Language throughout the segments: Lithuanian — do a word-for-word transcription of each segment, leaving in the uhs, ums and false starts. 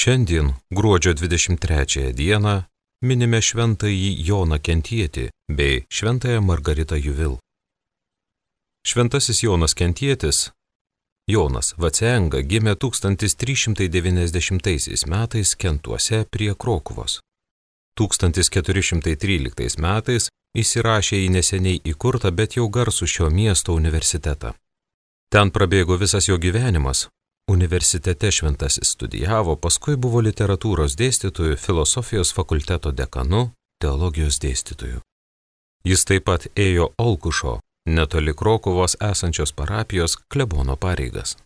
Šiandien, gruodžio dvidešimt trečiąją dieną, minime šventąjį Joną Kentietį bei šventąją Margaritą Juvil. Šventasis Jonas Kentietis, Jonas Vacenga, gimė tūkstantis trys šimtai devyniasdešimtaisiais metais Kentuose prie Krokuvos. tūkstantis keturi šimtai tryliktais metais įsirašė į neseniai įkurtą, bet jau garsų šio miesto universitetą. Ten prabėgo visas jo gyvenimas. Universitete šventasis studijavo, paskui buvo literatūros dėstytojų, filosofijos fakulteto dekanu, teologijos dėstytojų. Jis taip pat ėjo Olkušo, netoli Krokuvos esančios parapijos klebono pareigas.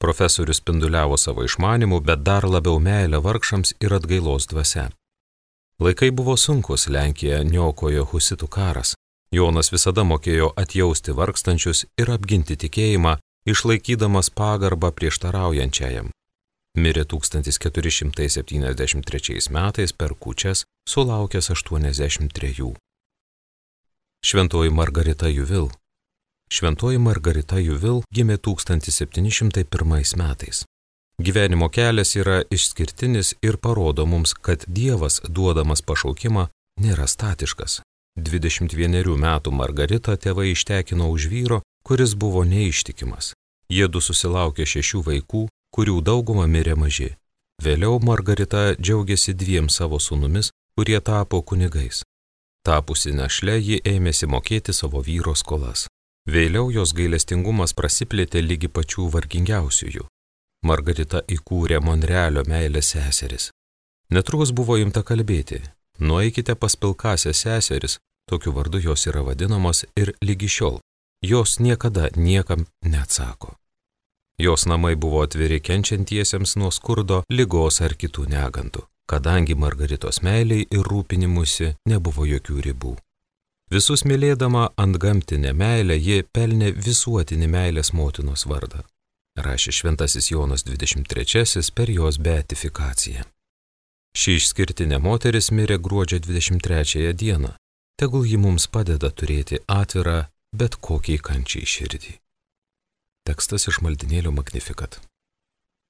Profesorius spinduliavo savo išmanimu, bet dar labiau meilę vargšams ir atgailos dvasia. Laikai buvo sunkus, Lenkiją niokojo husitų karas. Jonas visada mokėjo atjausti vargstančius ir apginti tikėjimą, išlaikydamas pagarbą prieštaraujančiajam. Mirė tūkstantis keturi šimtai septyniasdešimt trečiais metais per kūčias, sulaukęs aštuoniasdešimt trejų. Šventoji Margarita Juvil. Šventoji Margarita Juvil gimė tūkstantis septyni šimtai pirmais metais. Gyvenimo kelias yra išskirtinis ir parodo mums, kad Dievas, duodamas pašaukimą, nėra statiškas. dvidešimt vienerių metų Margaritą tėvai ištekino už vyro, kuris buvo neištikimas. Jiedu susilaukė šešių vaikų, kurių dauguma mirė maži. Vėliau Margarita džiaugiasi dviem savo sūnumis, kurie tapo kunigais. Tapusi našle, ji ėmėsi mokėti savo vyro skolas. Vėliau jos gailestingumas prasiplėtė lygi pačių vargingiausiųjų. Margarita įkūrė Monrealio meilės seseris. Netrukus buvo imta kalbėti: nueikite pas pilkąsias seseris, tokiu vardu jos yra vadinamos ir lygi šiol. Jos niekada niekam neatsako. Jos namai buvo atviri kenčiantiesiems nuo skurdo, ligos ar kitų negandų, kadangi Margaritos meiliai ir rūpinimusi nebuvo jokių ribų. Visus mylėdama antgamtinę meilę, ji pelnė visuotinį meilės motinos vardą, rašė šventasis Jonas dvidešimt trečiasis per jos beatifikaciją. Ši išskirtinė moteris mirė gruodžio dvidešimt trečiąją dieną. Tegul ji mums padeda turėti atvirą bet kokiai kančiai širdį. Tekstas iš maldynėlio Magnificat.